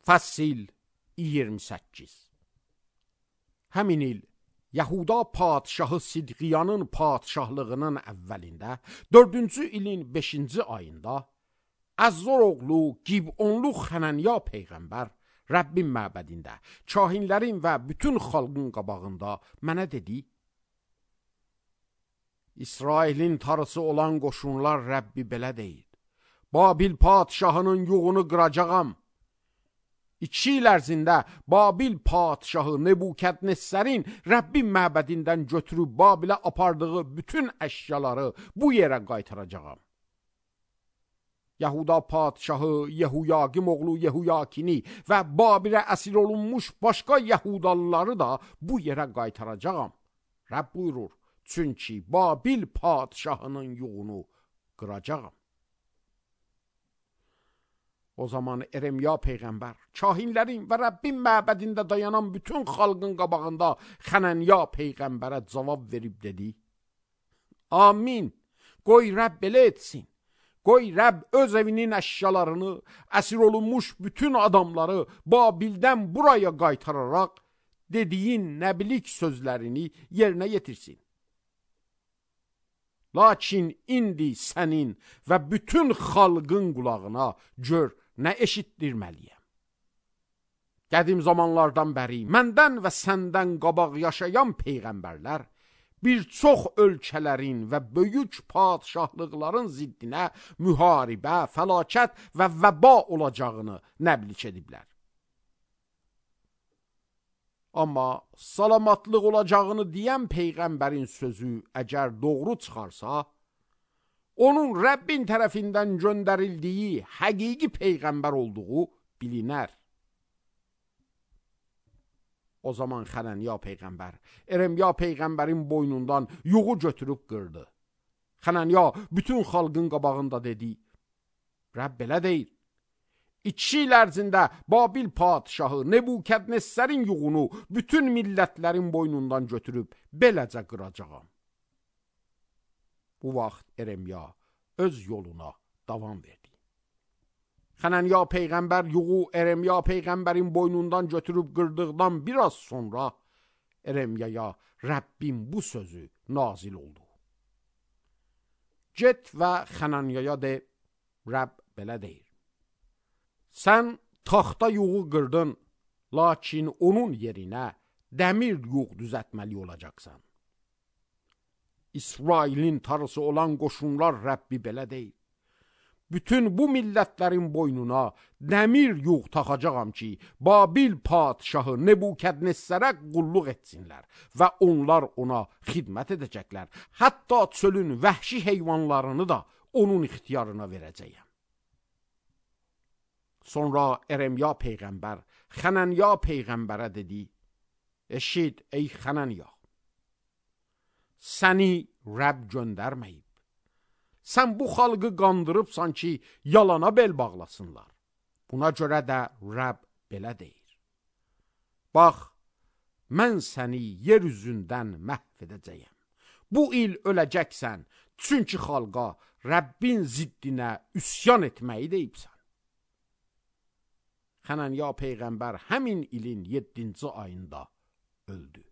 Fəsil 28. Həmin il Yahuda padşahı Sidqiyanın padşahlığının əvvəlində 4-cü ilin 5-ci ayında Əzzor oğlu Gibonlu Xənanya peyğəmbər Rəbbin məbədində kahinlərin və bütün xalqın qabağında mənə dedi: İsrailin tarısı olan qoşunlar Rəbbi belə deyir: Babil padşahının yuğunu qıracağam. 2 il ərzində Babil padşahı Nebukadnezərin Rəbbin məbədindən götürüb Babilə apardığı bütün əşyaları bu yerə qaytaracağam. Yahuda padşahı Yehuyaqim oğlu Yehuyakini və Babilə əsir olunmuş başqa Yahudalıları da bu yerə qaytaracağam. Rəbb buyurur, çünki Babil padşahının yuğunu qıracağam. O zaman Eremya peyğəmbər kahinlərin və Rəbbin məbədində dayanan bütün xalqın qabağında Xənanya peyğəmbərə cavab verib dedi: Amin, qoy Rəbb belə etsin. Qoy Rəbb öz evinin əşyalarını, əsir olunmuş bütün adamları Babildən buraya qaytararaq dediyin nəbilik sözlərini yerinə yetirsin. Lakin indi sənin və bütün xalqın qulağına gör nə eşitdirməliyəm. Qədim zamanlardan bəri məndən və səndən qabaq yaşayan peyğəmbərlər bir çox ölkələrin və böyük padşahlıqların ziddinə müharibə, fəlakət və vəba olacağını nəbliç ediblər. Amma salamatlıq olacağını deyən peyğəmbərin sözü əgər doğru çıxarsa, onun Rəbbin tərəfindən göndərildiyi həqiqi peyğəmbər olduğu bilinər. O zaman Xənanya peyğəmbər Eremya peyğəmbərin boynundan yuğu götürüb qırdı. Xənanya bütün xalqın qabağında dedi: Rəbb belə deyir: 2 il ərzində Babil padşahı Nebukadnezərin yuğunu bütün millətlərin boynundan götürüb beləcə qıracağam. Bu vaxt Eremya öz yoluna davam verdi. Xənanya peyğəmbər yuğu Eremya peyğəmbərin boynundan götürüb qırdıqdan biraz sonra Eremyaya Rəbbin bu sözü nazil oldu. Get və Xənanyaya de, Rəbb belə deyir: Sən taxta yuğu qırdın, lakin onun yerinə dəmir yuğ düzəltməli olacaqsan. İsrailin tarısı olan qoşunlar Rəbbi belə deyir: Bütün bu millətlərin boynuna dəmir yuğ taxacağam ki, Babil padşahı Nebukadnezərə qulluq etsinlər və onlar ona xidmət edəcəklər. Hətta çölün vəhşi heyvanlarını da onun ixtiyarına verəcəyəm. Sonra Eremya peyğəmbər Xənanya peyğəmbərə dedi: Eşit ey Xənanya, səni Rəbb göndərməyib. Sən bu xalqı qandırıbsan ki, yalana bel bağlasınlar. Buna görə də Rəbb belə deyir: Bax, mən səni yer üzündən məhv edəcəyəm. Bu il öləcəksən, çünki xalqa Rəbbin ziddinə üsyan etməyi deyibsən. Xənanya peyğəmbər həmin ilin 7-ci ayında öldü.